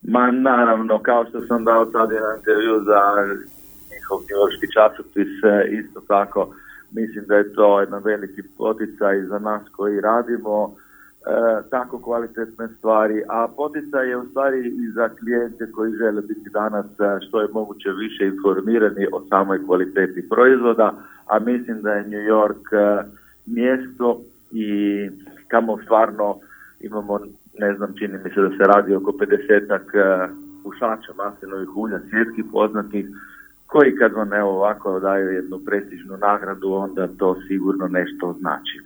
Ma naravno, kao što sam dao sad jedan intervju za njihov njujorški časopis, isto tako mislim da je to jedan veliki poticaj za nas koji radimo tako kvalitetne stvari, a poticaj je u stvari i za klijente koji žele biti danas što je moguće više informirani o samoj kvaliteti proizvoda, a mislim da je New York mjesto i kamo stvarno imamo, ne znam, čini mi se da se radi oko 50-ak pušača maslinovih ulja svjetskih poznatih, koji kad vam evo ovako daju jednu prestižnu nagradu, onda to sigurno nešto znači.